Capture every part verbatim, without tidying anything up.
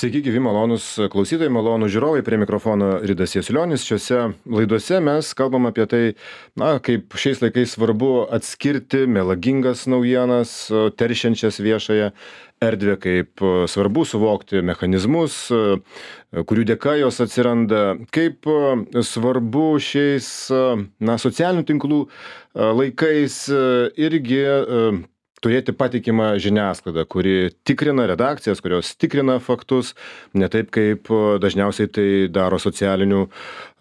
Sveiki, gyvi malonus klausytojai, malonus žiūrovai, prie mikrofono Ridas Jasiulionis. Šiuose laidose mes kalbam apie tai, na, kaip šiais laikais svarbu atskirti melagingas naujienas, teršiančias viešąją erdvę, kaip svarbu suvokti mechanizmus, kurių dėka jos atsiranda, kaip svarbu šiais, na, socialinių tinklų laikais irgi turėti patikimą žiniasklaidą, kuri tikrina redakcijas, kurios tikrina faktus, ne taip, kaip dažniausiai tai daro socialinių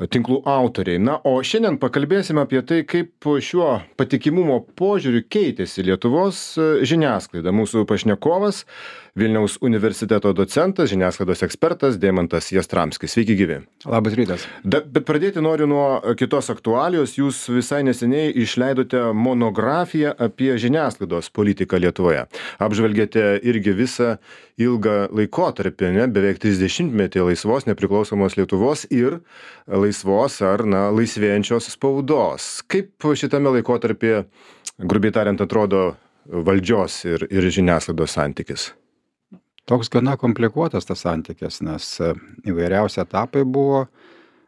tinklų autoriai. Na, o šiandien pakalbėsime apie tai, kaip šiuo patikimumo požiūriu keitėsi Lietuvos žiniasklaida. Mūsų pašnekovas, Vilniaus universiteto docentas, žiniasklaidos ekspertas Deimantas Jastramskis. Sveiki, gyvi. Labas rytas. Da, bet pradėti noriu nuo kitos aktualijos. Jūs visai neseniai išleidote monografiją apie žiniasklaidos politiką Lietuvoje. Apžvelgėte irgi visą ilgą laikotarpį, ne, beveik trisdešimtmetį laisvos nepriklausomos Lietuvos ir laisvos ar, na, laisvėjančios spaudos. Kaip šitame laikotarpyje, grubiai tariant, atrodo valdžios ir, ir žiniasklaidos santykis? Toks gana komplikuotas tas santykis, nes įvairiausi etapai buvo.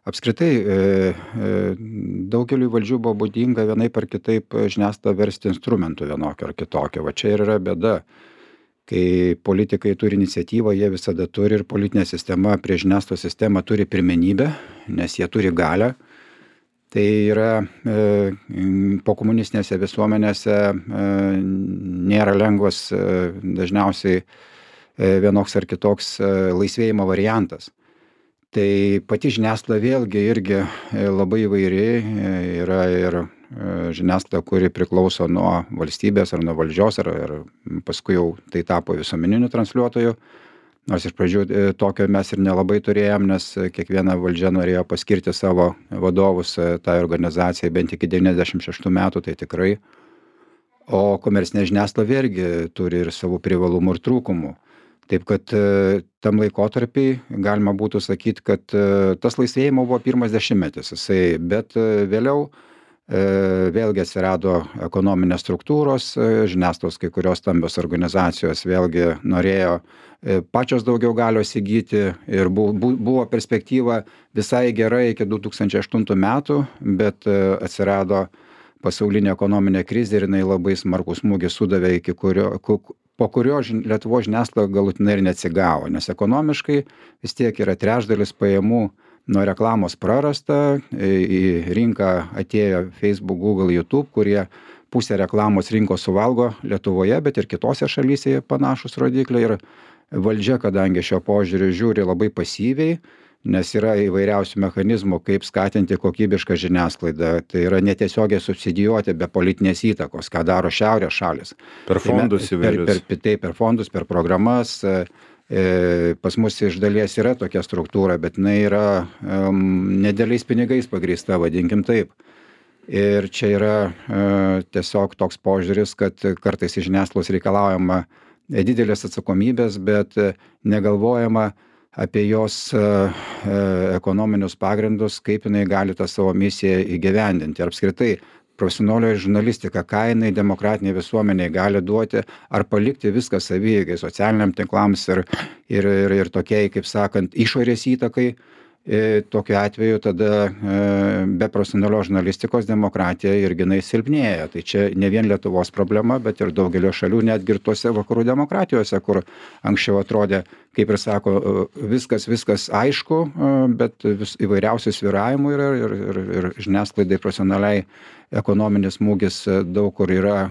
Apskritai, e, e, daugeliu valdžių buvo būdinga vienaip ar kitaip žiniasklaidą versti instrumentų vienokio ar kitokio. Va čia ir yra bėda. Kai politikai turi iniciatyvą, jie visada turi ir politinė sistema prie žiniasklaidos sistemą turi pirmenybę, nes jie turi galią. Tai yra e, po komunistinėse visuomenėse e, nėra lengvas e, dažniausiai vienoks ar kitoks laisvėjimo variantas. Tai pati žiniasklaida vėlgi irgi labai įvairi, yra ir žiniasklaida, kuri priklauso nuo valstybės ar nuo valdžios, ar, ar paskui jau tai tapo visuomeniniu transliuotoju. Nors iš pradžių tokio mes ir nelabai turėjom, nes kiekviena valdžia norėjo paskirti savo vadovus tai organizacijai bent iki devyniasdešimt šeštų metų, tai tikrai. O komercinė žiniasklaida vėlgi turi ir savų privalumų ir trūkumų. Taip kad tam laikotarpį galima būtų sakyti, kad tas laisvėjimo buvo pirmas dešimtmetis, jisai, bet vėliau vėlgi atsirado ekonominės struktūros, žiniasklaidos kai kurios stambios organizacijos vėlgi norėjo pačios daugiau galios įgyti ir buvo perspektyva visai gerai iki du tūkstančiai aštuntų metų, bet atsirado pasaulinė ekonominė krizė ir jinai labai smarkų smūgį sudavė, iki kurio, po kurio Lietuvos žiniasklaida galutinai ir neatsigavo, nes ekonomiškai vis tiek yra trečdalis pajamų nuo reklamos prarasta, į rinką atėjo Facebook, Google, YouTube, kurie pusę reklamos rinkos suvalgo Lietuvoje, bet ir kitose šalyse panašus rodikliai ir valdžia, kadangi šio požiūriu žiūri labai pasyviai, nes yra įvairiausių mechanizmų, kaip skatinti kokybišką žiniasklaidą. Tai yra netiesiogiai subsidijuoti be politinės įtakos, ką daro šiaurės šalis. Per fondus įvairius. Per, per, per, per fondus, per programas. E, pas mus iš dalies yra tokia struktūra, bet jinai yra um, nedėliais pinigais pagrįsta, vadinkim taip. Ir čia yra e, tiesiog toks požiūris, kad kartais iš žiniasklaidos reikalaujama didelės atsakomybės, bet negalvojama apie jos ekonominius pagrindus, kaip jinai gali tą savo misiją įgyvendinti. Ir apskritai, profesionalioji žurnalistika, ką jinai demokratiniai visuomeniai gali duoti, ar palikti viską savieigai, socialiniam tinklams ir, ir, ir, ir tokiai, kaip sakant, išorės įtakai. Tokiu atveju tada be profesionalios žurnalistikos demokratija irgi jinai silpnėja. Tai čia ne vien Lietuvos problema, bet ir daugelio šalių, netgi ir tuose vakarų demokratijose, kur anksčiau atrodė, kaip ir sako, viskas, viskas aišku, bet vis įvairiausių svyravimų yra ir, ir, ir žiniasklaidai profesionaliai ekonominis smūgis daug kur yra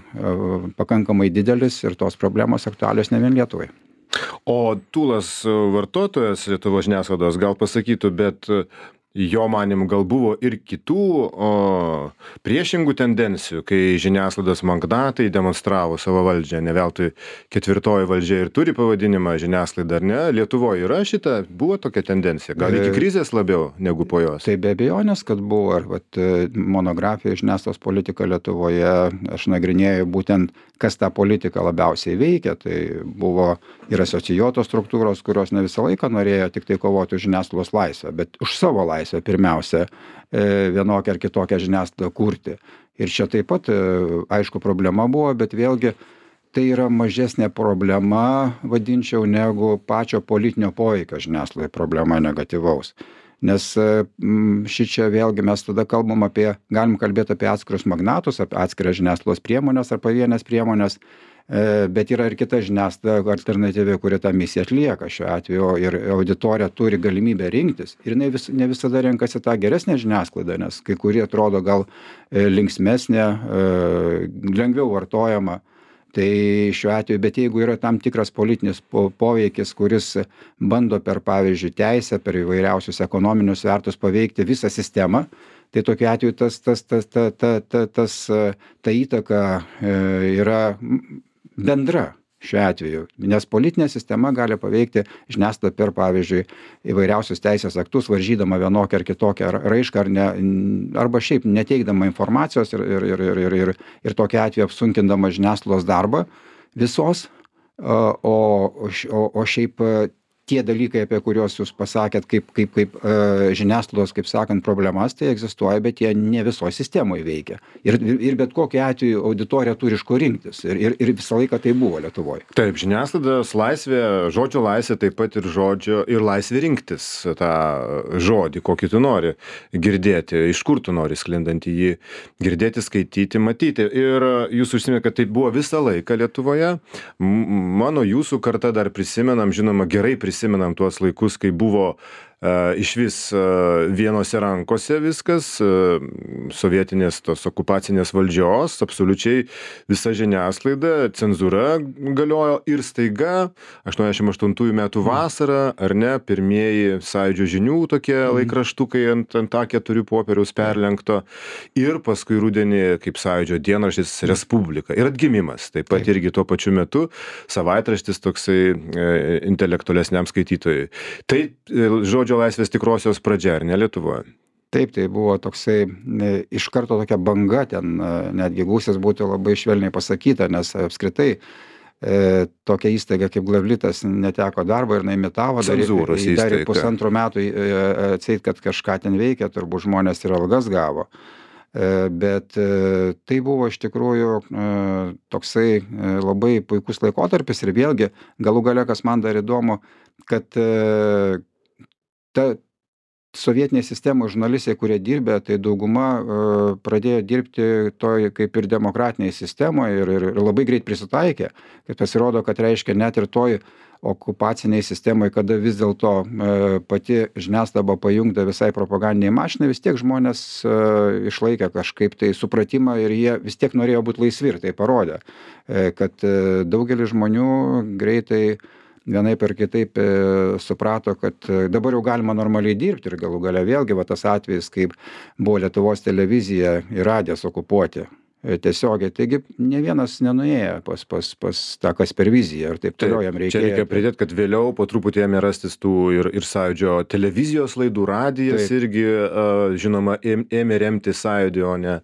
pakankamai didelis ir tos problemos aktualios ne vien Lietuvai. O tūlas vartotojas Lietuvos žiniasklaidos gal pasakytų, bet jo manymu gal buvo ir kitų o, priešingų tendencijų, kai žiniasklaidos magnatai demonstravo savo valdžią. Ne veltui ketvirtoji valdžia ir turi pavadinimą žiniasklaida, ar ne? Lietuvoje yra šita, buvo tokia tendencija, gal iki krizės labiau negu po jos? Tai be abejonės, kad buvo. Ar vat, monografija žiniasklaidos politika Lietuvoje, aš nagrinėjau būtent, kas tą politiką labiausiai veikia. Tai buvo ir asocijuotos struktūros, kurios ne visą laiką norėjo tik tai kovoti už žiniasklaidos laisvę, bet už savo laisvę pirmiausia vienokią ar kitokią žiniasklaidą kurti. Ir čia taip pat, aišku, problema buvo, bet vėlgi tai yra mažesnė problema, vadinčiau, negu pačio politinio poveikio žiniasklaidai problema negatyvaus. Nes šičia vėlgi mes tada kalbam apie, galim kalbėti apie atskirus magnatus, apie atskiras žiniasklaidos priemonės ar pavienės priemonės, bet yra ir kita žiniasklaida alternatyvi, kuri tą misiją atlieka šiuo atveju ir auditorija turi galimybę rinktis. Ir jinai vis, ne visada renkasi tą geresnę žiniasklaidą, nes kai kurie atrodo gal linksmesnė, lengviau vartojama. Tai šiuo atveju, bet jeigu yra tam tikras politinis poveikis, kuris bando per, pavyzdžiui, teisę, per įvairiausius ekonominius svertus paveikti visą sistemą, tai tokiu atveju tas, tas, tas, ta, ta, ta, tas, ta įtaka yra bendra šiuo atveju, nes politinė sistema gali paveikti žiniasklaidą per, pavyzdžiui, įvairiausius teisės aktus, varžydama vienokią ar kitokią raišką, ar ne, arba šiaip neteikdama informacijos ir, ir, ir, ir, ir, ir tokiu atveju apsunkindama žiniasklaidos darbą visos, o, o, o šiaip tie dalykai, apie kuriuos jūs pasakėt, kaip, kaip, kaip uh, žiniasklaidos, kaip sakant, problemas, tai egzistuoja, bet jie ne visoje sistemoje veikia. Ir, ir bet kokiu atveju auditorija turi iš ko rinktis. Ir, ir, ir visą laiką tai buvo Lietuvoje. Taip, žiniasklaidos laisvė, žodžio laisvė, taip pat ir žodžio ir laisvė rinktis tą žodį, kokį tu nori girdėti, iš kur tu nori sklindantį jį girdėti, skaityti, matyti. Ir jūs užsiminėte, kad tai buvo visą laiką Lietuvoje. Mano jūsų karta dar prisimenam, žinoma, gerai prisimenam, prisimenam tuos laikus, kai buvo uh, iš vis uh, vienose rankose viskas, uh, sovietinės tos okupacinės valdžios, absoliučiai visa žiniasklaida, cenzūra galiojo ir staiga aštuoniasdešimt aštuntųjų metų vasarą, ar ne, pirmieji Sąjūdžio žinių tokie laikraštukai ant, ant A keturi popieriaus perlenkto ir paskui rudenį kaip Sąjūdžio dienraštis Respublika ir atgimimas, taip pat taip. Irgi tuo pačiu metu savaitraštis toksai e, intelektualesniam skaitytojui. Tai žodžio laisvės tikrosios pradžia, ar ne Lietuvoje? Taip, tai buvo toksai ne, iš karto tokia banga, ten netgi gūsis būtų labai švelniai pasakyta, nes apskritai e, tokia įstaiga kaip Glavlitas neteko darbo ir naimitavo, dar, dar pusantro metų e, atseit, kad kažką ten veikia, turbūt žmonės ir algas gavo. E, bet e, tai buvo iš tikrųjų e, toksai e, labai puikus laikotarpis ir vėlgi galų gale, kas man dar įdomu, kad e, ta sovietinėje sistemoje žurnalistai, kurie dirbė, tai dauguma uh, pradėjo dirbti toj kaip ir demokratinėje sistemoje ir, ir, ir labai greit prisitaikė. Kad pasirodo, kad reiškia net ir toj okupaciniai sistemoje, kada vis dėlto uh, pati žiniasklaida pajungta visai propagandiniai mašinai, vis tiek žmonės uh, išlaikė kažkaip tai supratimą ir jie vis tiek norėjo būti laisvi ir tai parodė, uh, kad uh, daugelis žmonių greitai vienaip ar kitaip e, suprato, kad dabar jau galima normaliai dirbti ir galų gale vėlgi va tas atvejis, kaip buvo Lietuvos televizija ir radijas okupuoti e, tiesiogiai. Taigi ne vienas nenuėjo pas, pas, pas tą Kasperviziją ir taip toliau jam reikėjo. Čia reikia pridėti, kad vėliau po truputį ėmė rastis tų ir, ir Sąjūdžio televizijos laidų, radijas taip. Irgi, uh, žinoma, ėmė remti Sąjūdį, o ne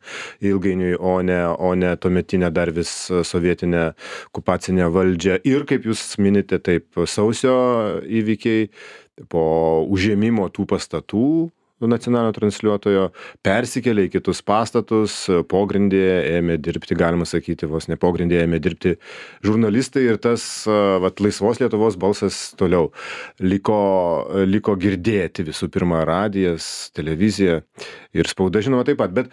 ilgainiui, o ne, o ne tuometinę dar vis sovietinę okupacinę valdžią. Ir kaip jūs minite, taip, sausio įvykiai po užėmimo tų pastatų nacionalinio transliuotojo persikėlė į kitus pastatus, pogrindėje ėmė dirbti, galima sakyti, vos ne pogrindėje ėmė dirbti žurnalistai ir tas vat, laisvos Lietuvos balsas toliau liko, liko girdėti visų pirma radijas, televizija ir spauda, žinoma, taip pat. Bet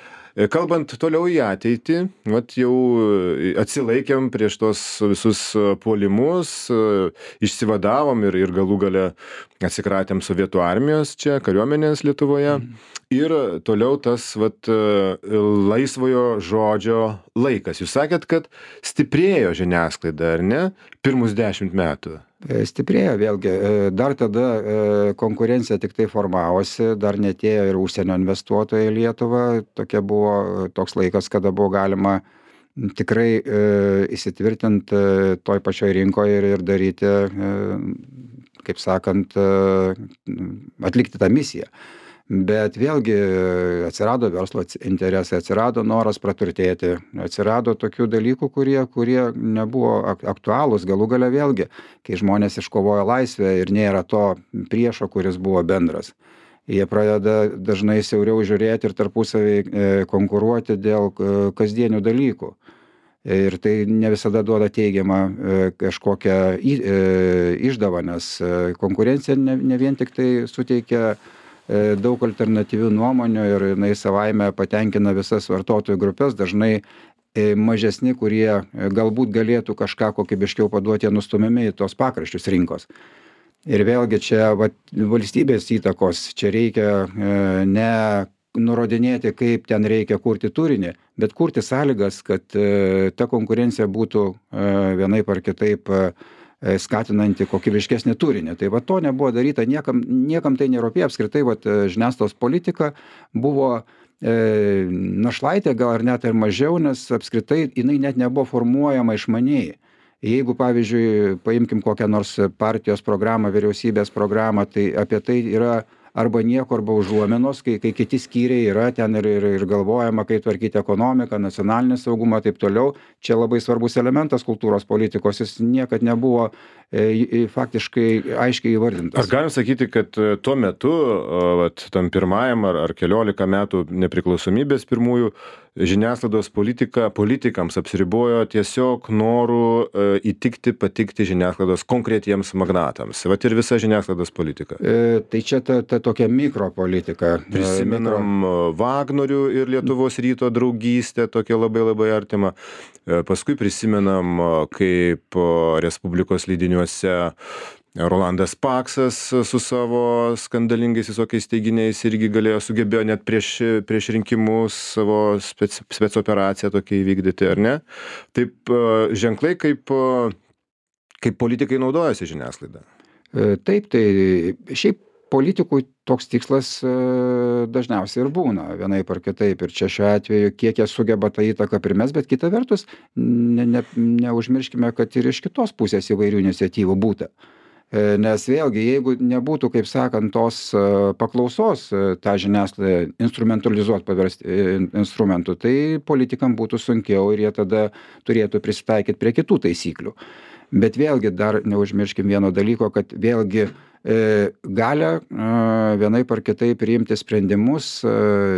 kalbant toliau į ateitį, vat jau atsilaikėm prieš tos visus puolimus, išsivadavom ir, ir galų gale atsikratėm sovietų armijos čia, kariuomenės Lietuvoje. Ir toliau tas vat, laisvojo žodžio laikas. Jūs sakėt, kad stiprėjo žiniasklaida, ar ne, pirmus dešimt metų? Stiprėjo vėlgi. Dar tada konkurencija tik tai formavosi, dar netėjo ir užsienio investuotojai į Lietuvą. Tokia buvo toks laikas, kada buvo galima tikrai e, įsitvirtinti toj pačioj rinkoje ir, ir daryti, e, kaip sakant, e, atlikti tą misiją. Bet vėlgi atsirado verslo interesai, atsirado noras praturtėti, atsirado tokių dalykų, kurie, kurie nebuvo aktualūs. Galų gale vėlgi, kai žmonės iškovojo laisvę ir nėra to priešo, kuris buvo bendras. Jie pradeda dažnai siauriau žiūrėti ir tarpusavį konkuruoti dėl kasdienių dalykų. Ir tai ne visada duoda teigiamą kažkokią išdavą, nes konkurencija ne, ne vien tik tai suteikia daug alternatyvių nuomonių ir jinai savaime patenkina visas vartotojų grupės, dažnai mažesni, kurie galbūt galėtų kažką kokybiškiau paduoti, jie nustumiami į tos pakraščius rinkos. Ir vėlgi čia va, valstybės įtakos, čia reikia ne nurodinėti, kaip ten reikia kurti turinį, bet kurti sąlygas, kad ta konkurencija būtų vienaip ar kitaip skatinanti kokybiškesnį turinį. Tai va to nebuvo daryta, niekam, niekam tai nerūpėjo, apskritai va, žiniasklaidos politika buvo e, našlaitė, gal ar net ir mažiau, nes apskritai jinai net nebuvo formuojama išmaniai. Jeigu, pavyzdžiui, paimkim kokią nors partijos programą, vyriausybės programą, tai apie tai yra arba nieko, arba užuominos, kai, kai kiti skyriai yra ten ir, ir, ir galvojama, kaip tvarkyti ekonomiką, nacionalinį saugumą, taip toliau. Čia labai svarbus elementas kultūros politikos, jis niekad nebuvo e, faktiškai aiškiai įvardintas. Ar galim sakyti, kad tuo metu, vat, tam pirmajam ar, ar keliolika metų nepriklausomybės pirmųjų, žiniasklaidos politika politikams apsiribojo tiesiog noru e, įtikti, patikti žiniasklaidos konkretiems magnatams. Vat ir visa žiniasklaidos politika. E, tai čia ta, ta tokia mikropolitika. Prisimenam mikro... Vagnorių ir Lietuvos ryto draugystę, tokia labai labai artima. E, paskui prisimenam, kaip Respublikos leidiniuose Rolandas Paksas su savo skandalingais visokiais teiginiais irgi galėjo, sugebėjo net prieš, prieš rinkimus savo spec, spec operaciją tokia įvykdyti, ar ne? Taip ženklai, kaip, kaip politikai naudojasi žiniasklaida. Taip, tai šiaip politikui toks tikslas dažniausiai ir būna, vienaip ar kitaip. Ir čia šiuo atveju, kiek jie sugeba tą įtaką primes, bet kita vertus, ne, ne, neužmirškime, kad ir iš kitos pusės įvairių iniciatyvų būta. Nes vėlgi, jeigu nebūtų, kaip sakant, tos paklausos tą žiniasklaidą instrumentalizuoti, paversti instrumentų, tai politikam būtų sunkiau ir jie tada turėtų prisitaikyti prie kitų taisyklių. Bet vėlgi dar neužmirškim vieno dalyko, kad vėlgi e, galia e, vienaip ar kitaip priimti sprendimus e,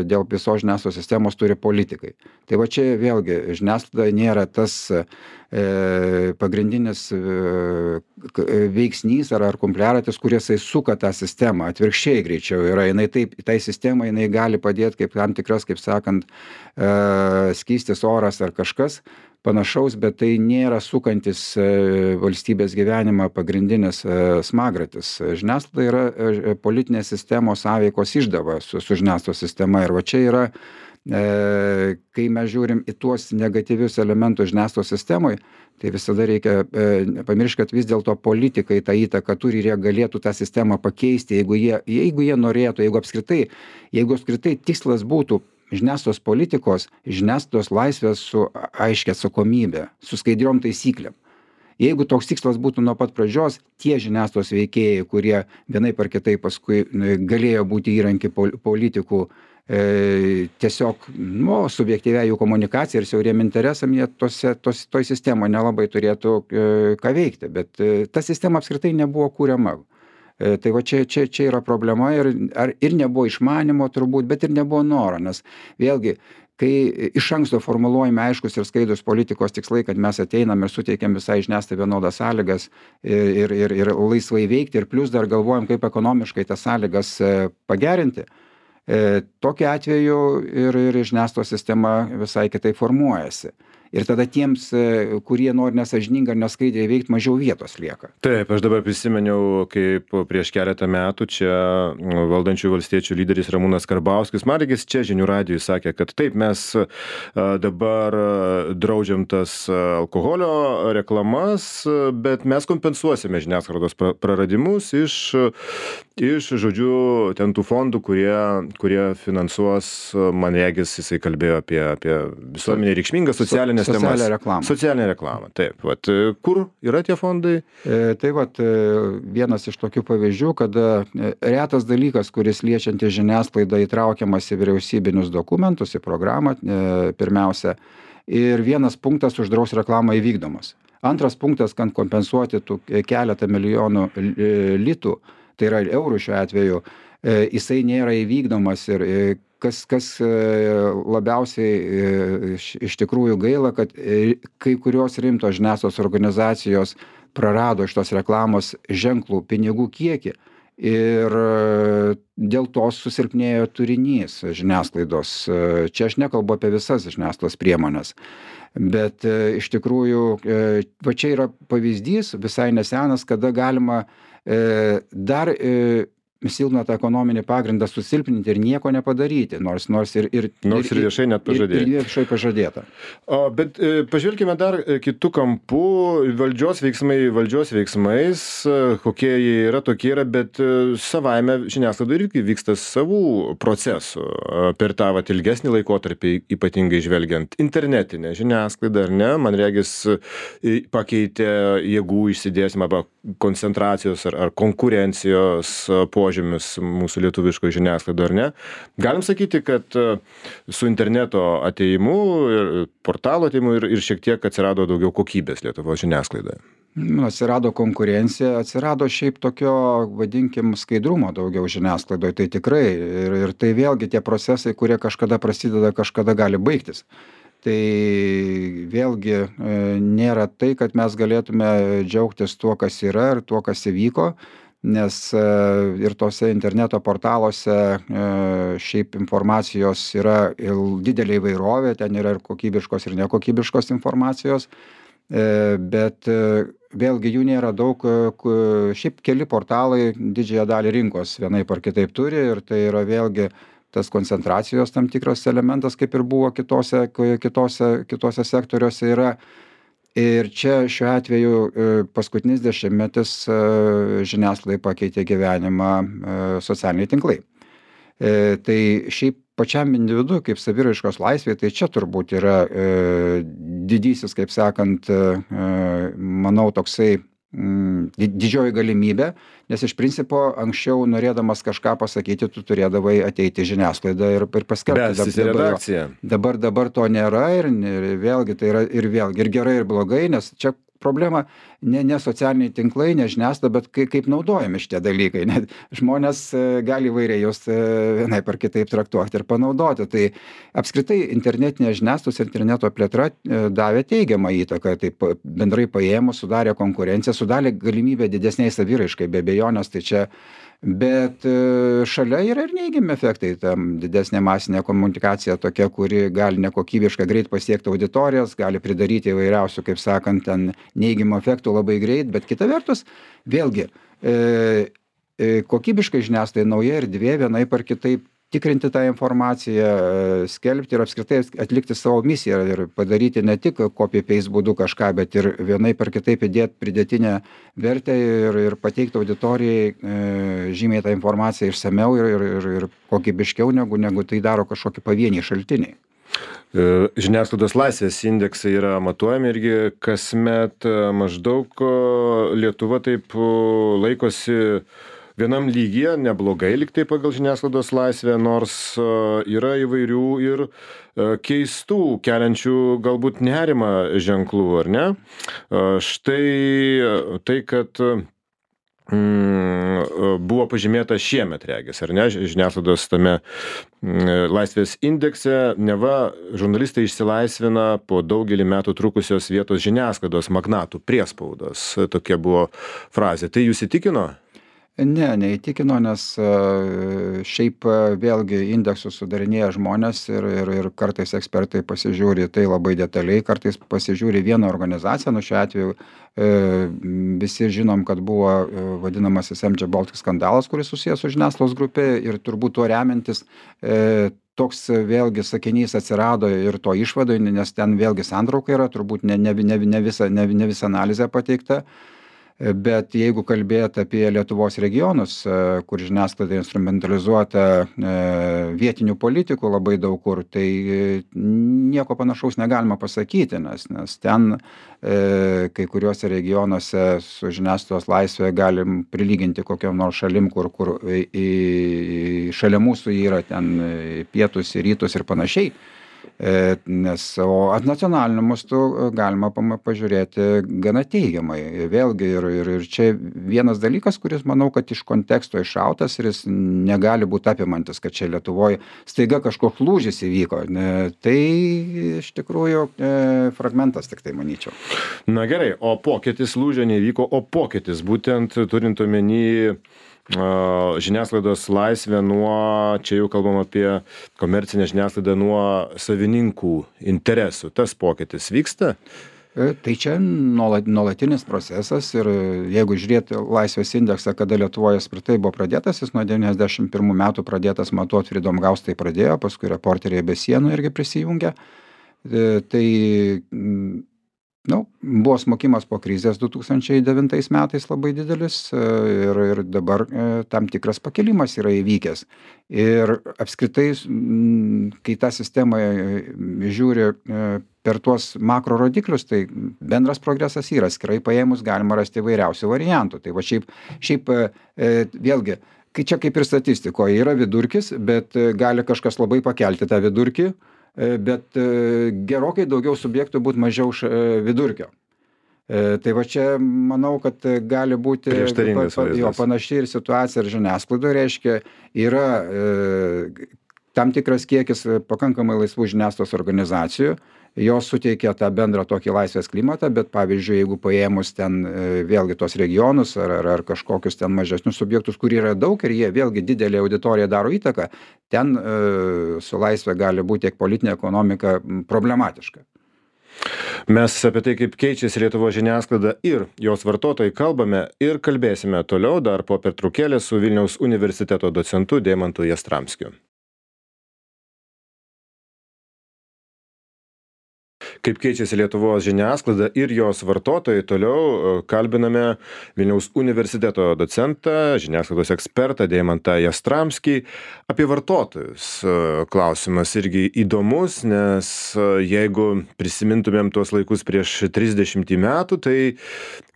dėl visos žiniasklaidos sistemos turi politikai. Tai va čia vėlgi žiniasklaida nėra tas e, pagrindinis e, veiksnys ar, ar kumpliaratis, kuris suka tą sistemą. Atvirkščiai greičiau yra. Jinai taip, tai sistemai jinai gali padėti kaip tam tikras, kaip sakant, e, skystis oras ar kažkas panašaus, bet tai nėra sukantis valstybės gyvenimą pagrindinis smagratis. Žiniasklaida yra politinės sistemos sąveikos išdava su, su žiniasklaidos sistema. Ir va čia yra, e, kai mes žiūrim į tuos negatyvius elementus žiniasklaidos sistemoje, tai visada reikia e, pamiršti, kad vis dėlto politikai tą įtaką turi ir jie galėtų tą sistemą pakeisti, jeigu jie, jeigu jie norėtų, jeigu apskritai, jeigu apskritai tikslas būtų žiniasklaidos politikos, žiniasklaidos laisvės su aiškia atsakomybė, su skaidriom taisyklėm. Jeigu toks tikslas būtų nuo pat pradžios, tie žiniasklaidos veikėjai, kurie vienaip ar kitaip paskui galėjo būti įrankiai politikų, e, tiesiog nu, subjektyviai jų komunikacija ir siauriem interesam, jie tose, tos, toj sistemoje nelabai turėtų e, ką veikti, bet e, ta sistema apskritai nebuvo kuriama. Tai va čia, čia, čia yra problema ir, ar, ir nebuvo išmanimo turbūt, bet ir nebuvo noro, nes vėlgi, kai iš anksto formuluojame aiškus ir skaidrūs politikos tikslai, kad mes ateinam ir suteikiam visai žiniasklaidai vienodas sąlygas ir, ir, ir laisvai veikti ir plus dar galvojam, kaip ekonomiškai tas sąlygas pagerinti, tokiu atveju ir, ir žiniasklaidos sistema visai kitaip formuojasi. Ir tada tiems, kurie nori nesąžiningai ar neskaidriai veikti, mažiau vietos lieka. Taip, aš dabar prisimeniau, kaip prieš keletą metų čia valdančių valstiečių lyderis Ramūnas Karbauskis, man regis čia žinių radijui sakė, kad taip, mes dabar draudžiam tas alkoholio reklamas, bet mes kompensuosime žiniasklaidos praradimus iš, iš, žodžiu, ten tų fondų, kurie, kurie finansuos, man regis, jisai kalbėjo apie, apie visuomenį reikšmingą socialinę Socialinę reklamą. Socialinę reklamą, taip. Vat, kur yra tie fondai? E, tai vat, vienas iš tokių pavyzdžių, kada retas dalykas, kuris liečiantis žiniasklaidą įtraukiamas į vyriausybinius dokumentus, į programą e, pirmiausia, ir vienas punktas uždraus reklamą įvykdomas. Antras punktas, kad kompensuoti tų keletą milijonų litų, tai yra eurų šiuo atveju, jisai nėra įvykdomas ir kas, kas labiausiai iš, iš tikrųjų gaila, kad kai kurios rimtos žiniasklaidos organizacijos prarado iš tos reklamos ženklų pinigų kiekį ir dėl to susilpnėjo turinys žiniasklaidos. Čia aš nekalbu apie visas žiniasklaidos priemonės, bet iš tikrųjų va čia yra pavyzdys visai nesenas, kada galima dar silpną tą ekonominį pagrindą susilpninti ir nieko nepadaryti, nors, nors ir, ir, nors ir viešai net pažadėta. Ir, ir viešai pažadėta. O, bet e, pažvelkime dar kitų kampų, valdžios veiksmai valdžios veiksmais, kokie jie yra, tokie yra, bet savaime žiniasklaida irgi vyksta savų procesų per tą vat, ilgesnį laikotarpį, ypatingai žvelgiant internetinę žiniasklaidą, ar ne, man regis pakeitė jėgų išsidėsimą arba koncentracijos ar, ar konkurencijos požymis mūsų lietuviško žiniasklaido, ar ne? Galim sakyti, kad su interneto atėjimu ir portalo atėjimu ir, ir šiek tiek atsirado daugiau kokybės Lietuvos žiniasklaidoje. Atsirado konkurencija, atsirado šiaip tokio, vadinkim, skaidrumo daugiau žiniasklaidoje, tai tikrai. Ir, ir tai vėlgi tie procesai, kurie kažkada prasideda, kažkada gali baigtis. Tai vėlgi nėra tai, kad mes galėtume džiaugtis tuo, kas yra ir tuo, kas įvyko, nes ir tose interneto portaluose šiaip informacijos yra didelė įvairovė, ten yra ir kokybiškos ir nekokybiškos informacijos, bet vėlgi jų nėra daug, šiaip keli portalai didžiąją dalį rinkos vienaip ar kitaip turi ir tai yra vėlgi tas koncentracijos tam tikras elementas, kaip ir buvo kitose, kitose, kitose sektoriuose yra. Ir čia šiuo atveju paskutinis dešimtmetis žiniasklaidai pakeitė gyvenimą socialiniai tinklai. Tai šiaip pačiam individu, kaip saviraiškos laisvė, tai čia turbūt yra didysis, kaip sakant, manau, toksai didžioji galimybė, nes iš principo anksčiau norėdamas kažką pasakyti, tu turėdavai ateiti į žiniasklaidą ir, ir paskelbti. Dabar, dabar, dabar to nėra ir, ir vėlgi tai yra ir vėlgi ir gerai ir blogai, nes čia problema ne, ne socialiniai tinklai, ne žiniasklaida, bet kaip, kaip naudojami šitie dalykai. Net žmonės gali įvairiai jos vienaip ar kitaip traktuoti ir panaudoti. Tai apskritai internetinė žiniasklaidos ir interneto plėtra davė teigiamą įtaką, taip bendrai paėmus, sudarė konkurenciją, sudarė galimybę didesniai saviraiškai, be abejonės, tai čia. Bet šalia yra ir neigiami efektai, tam didesnė masinė komunikacija tokia, kuri gali nekokybiškai greit pasiekti auditorijas, gali pridaryti įvairiausių, kaip sakant, ten neigiamų efektų labai greit, bet kita vertus, vėlgi, e, e, kokybiškai žiniasklaidai nauja erdvė vienaip ar kitaip tikrinti tą informaciją, skelbti ir apskritai atlikti savo misiją ir padaryti ne tik copy-paste būdu kažką, bet ir vienaip ar kitaip įdėti pridėtinę vertę ir, ir pateikti auditorijai e, žymiai tą informaciją išsamiau ir, ir, ir, ir kokybiškiau, negu, negu tai daro kažkokie pavieniai šaltiniai. Žiniasklaidos laisvės indeksai yra matuojami irgi kasmet maždaug Lietuva taip laikosi vienam lygyje, neblogai liktai pagal žiniasklaidos laisvę, nors yra įvairių ir keistų, keliančių galbūt nerimą ženklų, ar ne? Štai tai, kad mm, buvo pažymėta šiemet, regis, ar ne, žiniasklaidos tame laisvės indekse, neva žurnalistai išsilaisvina po daugelį metų trukusios vietos žiniasklaidos magnatų priespaudos. Tokia buvo frazė. Tai jūs įtikino? Ne, neįtikino, nes šiaip vėlgi indeksus sudarinėja žmonės ir, ir, ir kartais ekspertai pasižiūri tai labai detaliai, kartais pasižiūri vieną organizaciją, nu šiuo atveju e, visi žinom, kad buvo vadinamasis M J Baltic skandalas, kuris susijęs su žiniasklaidos grupė ir turbūt tuo remiantis e, toks vėlgi sakinys atsirado ir to išvadoj, nes ten vėlgi santrauka yra, turbūt ne, ne, ne, ne, visa, ne, ne visa analizė pateikta. Bet jeigu kalbėt apie Lietuvos regionus, kur žiniasklaida instrumentalizuota vietinių politikų labai daug kur, tai nieko panašaus negalima pasakyti, nes, nes ten kai kuriuose regionuose su žiniasklaidos laisvė galim prilyginti kokiam nors šalim, kur, kur į, šalia mūsų yra ten pietus ir rytus ir panašiai. Nes, o nacionaliniu mastu galima pama- pažiūrėti gana teigiamai. Vėlgi, ir, ir, ir čia vienas dalykas, kuris, manau, kad iš konteksto iššautas ir jis negali būti apimantis, kad čia Lietuvoje staiga kažkoks lūžis įvyko. Ne, tai iš tikrųjų e, fragmentas, tik tai manyčiau. Na gerai, o pokytis lūžio nevyko, o pokytis būtent turint omeny žiniasklaidos laisvę nuo, čia jau kalbam apie komercinę žiniasklaidą, nuo savininkų interesų. Tas pokytis vyksta? Tai čia nuolatinis procesas ir jeigu žiūrėti laisvės indeksą, kada Lietuvoje apskritai buvo pradėtas, jis nuo devyniasdešimt pirmų metų pradėtas matuoti, Freedom House tai pradėjo, paskui Reporteriai be sienų irgi prisijungė. Tai nu, buvo smokimas po krizės du tūkstančiai devintais metais labai didelis ir, ir dabar tam tikras pakilimas yra įvykęs. Ir apskritai, kai tą sistemą žiūri per tuos makro rodiklius, tai bendras progresas yra, skirai paėmus galima rasti įvairiausių variantų. Tai va šiaip, šiaip vėlgi, kai čia kaip ir statistikoje yra vidurkis, bet gali kažkas labai pakelti tą vidurkį, bet gerokai daugiau subjektų būtų mažiau vidurkio. Tai va čia manau, kad gali būti prieštaringas vaizdas. Jo panaši ir situacija ir žiniasklaidoje, reiškia, yra e, tam tikras kiekis pakankamai laisvų žiniasklaidos organizacijų, jos suteikia tą bendrą tokį laisvės klimatą, bet pavyzdžiui, jeigu paėmus ten e, vėlgi tos regionus ar, ar, ar kažkokius ten mažesnius subjektus, kur yra daug ir jie vėlgi didelė auditorija daro įtaką, ten e, su laisvė gali būti tiek politinė ekonomika problematiška. Mes apie tai, kaip keičiasi Lietuvos žiniasklaida ir jos vartotojai kalbame ir kalbėsime toliau dar po pertraukėlės su Vilniaus universiteto docentu Deimantu Jastramskiu. Kaip keičiasi Lietuvos žiniasklaida ir jos vartotojai, toliau kalbiname Vilniaus universiteto docentą, žiniasklaidos ekspertą Deimantą Jastramskį. Apie vartotojus klausimas irgi įdomus, nes jeigu prisimintumėm tuos laikus prieš trisdešimtį metų, tai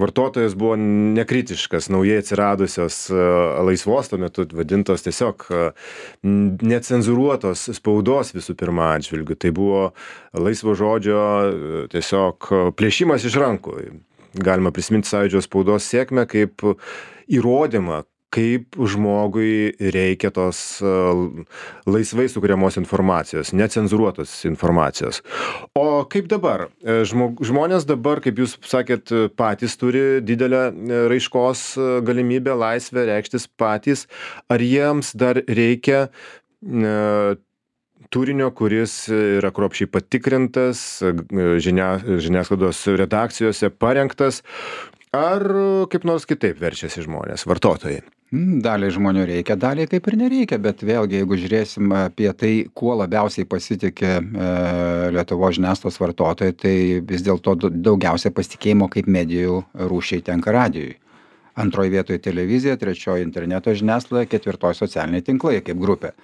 vartotojas buvo nekritiškas, naujai atsiradusios laisvos tuo metu vadintos tiesiog necenzuruotos spaudos visų pirma atžvilgiu. Tai buvo laisvo žodžio tiesiog plėšimas iš rankų. Galima prisiminti Sąjūdžio spaudos sėkmę kaip įrodymą, kaip žmogui reikia tos laisvai sukuriamos informacijos, necenzuruotos informacijos. O kaip dabar? Žmog, žmonės dabar, kaip jūs sakėt, patys turi didelę raiškos galimybę, laisvę reikštis patys. Ar jiems dar reikia ne, turinio, kuris yra kruopščiai patikrintas, žinia, žiniasklaidos redakcijose parengtas, ar kaip nors kitaip verčiasi žmonės, vartotojai? Daliai žmonių reikia, daliai kaip ir nereikia, bet vėlgi, jeigu žiūrėsim apie tai, kuo labiausiai pasitikė e, Lietuvos žiniasklaidos vartotojai, tai vis dėlto daugiausia pasitikėjimo kaip medijų rūšiai tenka radijui. Antroji vietoje televizija, trečioji interneto žiniasklaida, ketvirtoji socialiniai tinklai kaip grupė.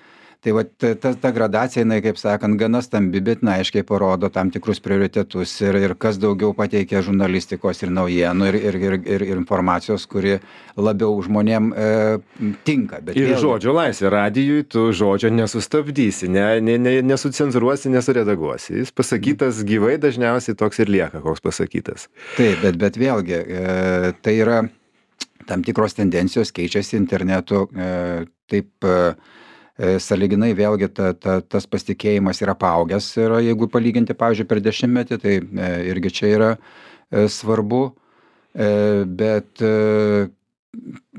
Tai va, ta, ta gradacija, jinai, kaip sakant, gana stambi, bet na, aiškiai parodo tam tikrus prioritetus ir, ir kas daugiau pateikia žurnalistikos ir naujienų ir, ir, ir, ir informacijos, kuri labiau žmonėm e, tinka. Bet ir vėlgi, žodžio laisvė. Radijui tu žodžio nesustabdysi, ne, ne, ne, nesucenzuruosi, nesuredaguosi. Jis pasakytas gyvai dažniausiai toks ir lieka, koks pasakytas. Taip, bet, bet vėlgi, e, tai yra tam tikros tendencijos, keičiasi internetu, e, taip e, sąlyginai vėlgi ta, ta, tas pasitikėjimas yra paaugęs ir jeigu palyginti, pavyzdžiui, per dešimtmetį, tai e, irgi čia yra e, svarbu, e, bet e,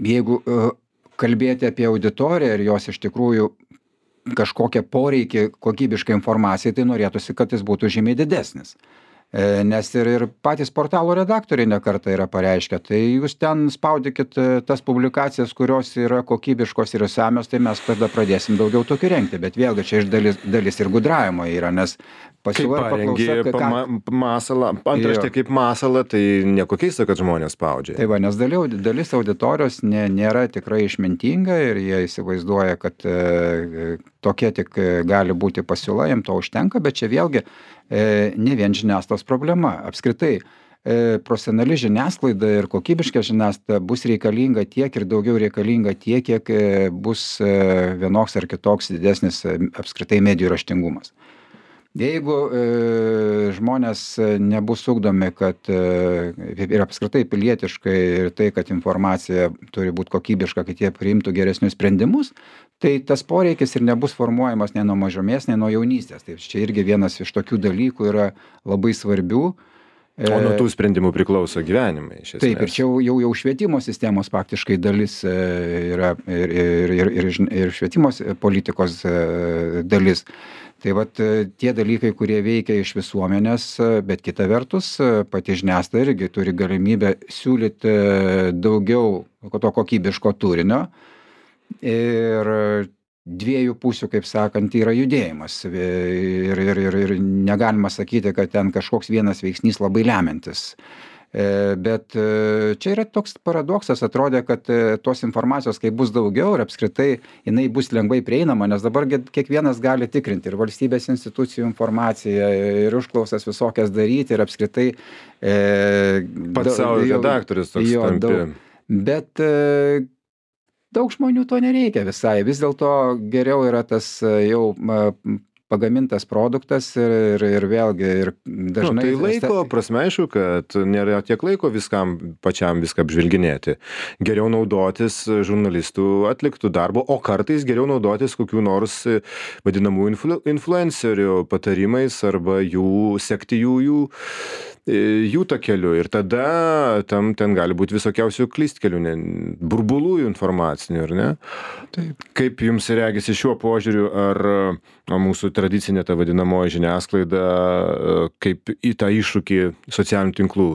jeigu e, kalbėti apie auditoriją ir jos iš tikrųjų kažkokią poreikį kokybiškai informacijai, tai norėtųsi, kad jis būtų žymiai didesnis. Nes ir, ir patys portalo redaktoriai nekartą yra pareiškę, tai jūs ten spaudykit tas publikacijas, kurios yra kokybiškos ir išsamios, tai mes tada pradėsim daugiau tokių rengti, bet vėlgi čia iš dalis, dalis ir gudravimo yra, nes pasiūla ir paklausa, ką... masalą, antraštė kaip masalą, tai nieko keista, kad žmonės spaudžia. Tai va, nes dalis, dalis auditorijos nė, nėra tikrai išmintinga ir jie įsivaizduoja, kad e, tokia tik gali būti pasiūla, jiems to užtenka, bet čia vėlgi e, ne vien žiniasklaidos problema. Apskritai, e, profesionali žiniasklaida ir kokybiška žiniasklaida bus reikalinga tiek ir daugiau reikalinga tiek, kiek e, bus e, vienoks ar kitoks didesnis e, apskritai medijų raštingumas. Jeigu e, žmonės nebus ugdomi, kad e, ir apskritai pilietiškai ir tai, kad informacija turi būti kokybiška, kad jie priimtų geresnius sprendimus, tai tas poreikis ir nebus formuojamas nei nuo mažumės, nei nuo jaunystės. Tai čia irgi vienas iš tokių dalykų yra labai svarbių. O nuo tų sprendimų priklauso gyvenimai, iš esmės. Taip, ir čia jau, jau, jau švietimo sistemos faktiškai dalis e, yra ir, ir, ir, ir, ir švietimo politikos e, dalis. Tai vat e, tie dalykai, kurie veikia iš visuomenės, e, bet kita vertus, e, pati žiniasklaida irgi turi galimybę siūlyti e, daugiau to kokybiško turinio. Ir dviejų pusių, kaip sakant, yra judėjimas. Ir, ir, ir, ir negalima sakyti, kad ten kažkoks vienas veiksnys labai lemiantis. Bet čia yra toks paradoksas, atrodė, kad tos informacijos, kai bus daugiau ir apskritai jinai bus lengvai prieinama, nes dabar kiekvienas gali tikrinti ir valstybės institucijų informaciją, ir užklausas visokias daryti, ir apskritai... E, Pats savo redaktorius toks jo, tampi. Daug, bet... E, Daug žmonių to nereikia visai. Vis dėlto geriau yra tas jau pagamintas produktas ir, ir, ir vėlgi ir dažnai... Nu, tai laiko prasme, aišku, kad nėra tiek laiko viskam pačiam viską apžvelginėti. Geriau naudotis žurnalistų atliktų darbo, o kartais geriau naudotis kokių nors vadinamų influ, influencerių patarimais arba jų sekti jų, jų jų takeliu ir tada tam ten gali būti visokiausių klystkelių, ne, burbulų informacinių, ar ne? Taip. Kaip jums regisi šiuo požiūriu, ar o, mūsų tradicinė ta vadinamoji žiniasklaida, kaip į tą iššūkį socialinių tinklų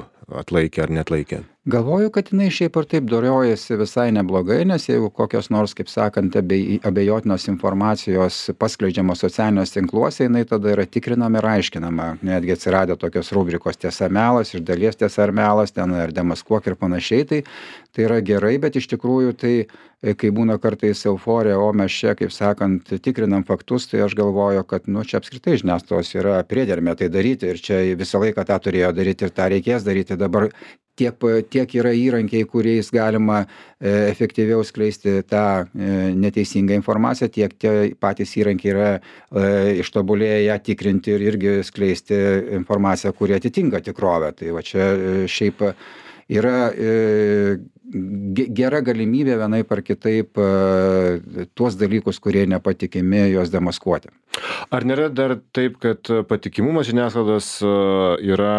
atlaikė ar netlaikė? Galvoju, kad jinai šiaip ar taip doriojasi visai neblogai, nes jeigu kokios nors, kaip sakant, abej, abejotinos informacijos paskleidžiamos socialiniuose tinkluose, jinai tada yra tikrinama ir aiškinama. Netgi atsiradę tokios rubrikos tiesa melas, iš dalies tiesa ar melas, ten ar demaskuok ir panašiai, tai, tai yra gerai, bet iš tikrųjų tai, kai būna kartais euforija, o mes čia, kaip sakant, tikrinam faktus, tai aš galvoju, kad, nu, čia apskritai žiniasklaidos yra priedermė tai daryti ir čia visą laiką tą turėjo daryti ir tą reikės daryti. Dabar tiek, tiek yra įrankiai, kuriais galima e, efektyviau skleisti tą e, neteisingą informaciją, tiek tie patys įrankiai yra e, ištobulėję ją tikrinti ir irgi skleisti informaciją, kuri atitinka tikrovę. Tai va čia e, šiaip yra e, gera galimybė vienaip ar kitaip e, tuos dalykus, kurie nepatikimi, juos demaskuoti. Ar nėra dar taip, kad patikimumas žiniasklaidos e, yra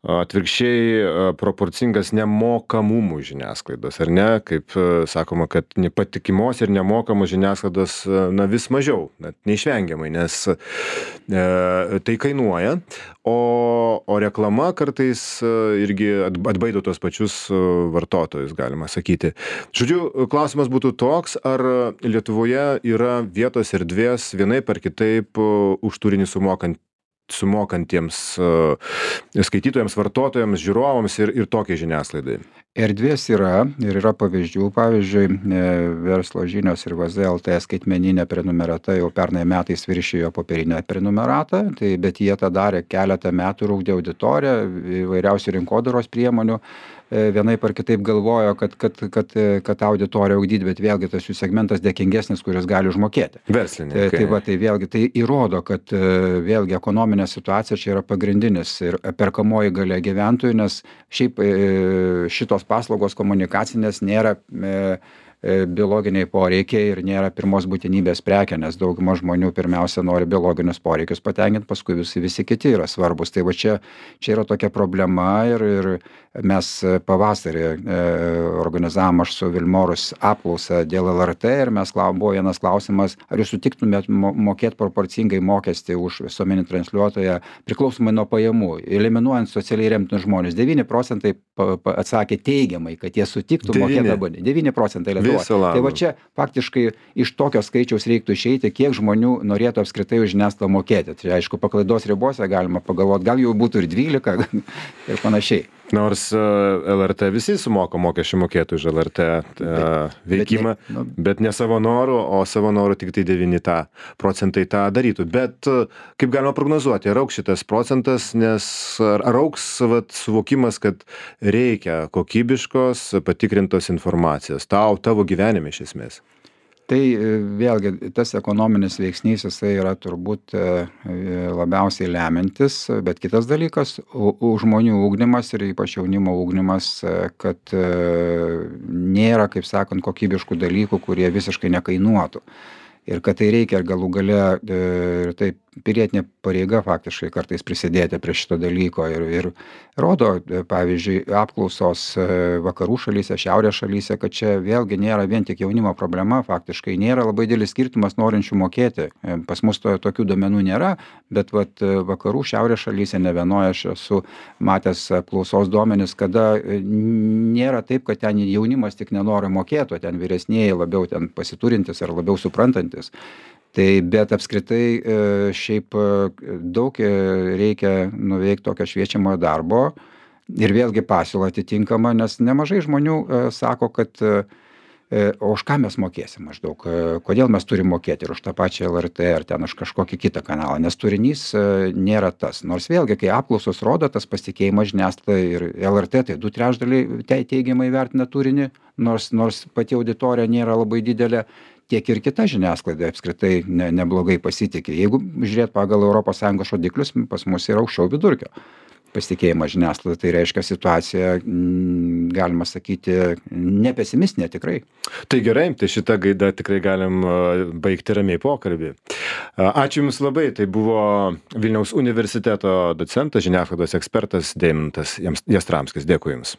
atvirkščiai proporcingas nemokamumų žiniasklaidos, ar ne? Kaip sakoma, kad nepatikimos ir nemokamos žiniasklaidos na, vis mažiau, net neišvengiamai, nes e, tai kainuoja, o, o reklama kartais irgi atbaido tos pačius vartotojus, galima sakyti. Žodžiu, klausimas būtų toks, ar Lietuvoje yra vietos erdvės vienaip ar kitaip už turinį sumokant sumokantiems uh, skaitytojams, vartotojams, žiūrovams ir, ir tokiai žiniasklaidai? Erdvės yra ir yra pavyzdžių. Pavyzdžiui, Verslo žinios ir V Z L T skaitmeninė prenumerata jau pernai metais viršijo popierinę prenumeratą, tai, bet jie tą darė keletą metų ir ugdė auditoriją, įvairiausių rinkodaros priemonių. Vienaip ar kitaip galvojo, kad, kad, kad, kad auditoriją ugdyti, bet vėlgi tas jų segmentas dėkingesnis, kuris gali užmokėti. Verslininkai. Tai, tai, va, tai vėlgi tai įrodo, kad vėlgi ekonominė situacija čia yra pagrindinis ir perkamoji galia gyventojų, nes šiaip šitos paslaugos komunikacinės nėra e, biologiniai poreikiai ir nėra pirmos būtinybės prekė, nes dauguma žmonių pirmiausia nori biologinius poreikius patenkinti, paskui visi, visi kiti yra svarbus. Tai va čia, čia yra tokia problema ir, ir mes pavasarį e, organizavom aš su Vilmorus apklausą dėl L R T ir mes klausėm, buvo vienas klausimas, ar jūs sutiktumėt mokėti proporcingai mokestį už visuomeninį transliuotoją priklausomai nuo pajamų, eliminuojant socialiai remtinus žmonės. devyni procentai pa, pa, atsakė teigiamai, kad jie sutiktų mokėti abonį. devyni procentai Lietuvos. Tai va čia faktiškai iš tokio skaičiaus reiktų išeiti, kiek žmonių norėtų apskritai už žiniasklaidą mokėti. Tai aišku, paklaidos ribose galima pagalvoti, gal jau būtų ir dvylika ir panašiai. Nors L R T visi sumoka mokesčių mokėtų už L R T uh, veikimą, bet ne, nu, bet ne savo norų, o savo norų tik tai devyni procentai tą darytų. Bet kaip galima prognozuoti, ar auks šitas procentas, nes ar, ar auks vat, suvokimas, kad reikia kokybiškos, patikrintos informacijos tau, tavo gyvenime iš esmės? Tai vėlgi tas ekonominis veiksnys, jisai yra turbūt labiausiai lemiantis, bet kitas dalykas, žmonių ugdymas ir ypač jaunimo ugdymas, kad nėra, kaip sakant, kokybiškų dalykų, kurie visiškai nekainuotų. Ir kad tai reikia galų gale, ir taip pilietinė pareiga faktiškai kartais prisidėti prie šito dalyko. Ir, ir rodo, pavyzdžiui, apklausos vakarų šalyse, šiaurės šalyse, kad čia vėlgi nėra vien tik jaunimo problema, faktiškai nėra labai didelis skirtumas norinčių mokėti. Pas mus to, tokių duomenų nėra, bet vat, vakarų šiaurės šalyse ne vienoje aš esu matęs apklausos duomenis, kada nėra taip, kad ten jaunimas tik nenori mokėti, o ten vyresnieji labiau ten pasiturintis ar labiau suprantantis. Tai bet apskritai šiaip daug reikia nuveikti tokio šviečiamojo darbo ir vėlgi pasiūla atitinkama, nes nemažai žmonių sako, kad o už ką mes mokėsim maždaug, kodėl mes turim mokėti ir už tą pačią L R T ar ten už kažkokį kitą kanalą, nes turinys nėra tas. Nors vėlgi, kai apklausos rodo, tas pasitikėjimas žiniasklaida ir L R T, tai du trečdaliai teigiamai vertina turinį, nors, nors pati auditorija nėra labai didelė, tiek ir kita žiniasklaida apskritai ne, neblogai pasitikė. Jeigu žiūrėt pagal Europos Sąjungos rodiklius, pas mus yra aukščiau vidurkio pasitikėjimas žiniasklaida, tai reiškia situacija, galima sakyti, nepesimistinė tikrai. Tai gerai, tai šitą gaidą tikrai galim baigti ramiai pokalbį. Ačiū Jums labai, tai buvo Vilniaus universiteto docentas, žiniasklaidos ekspertas Deimantas Jastramskis. Dėkui Jums.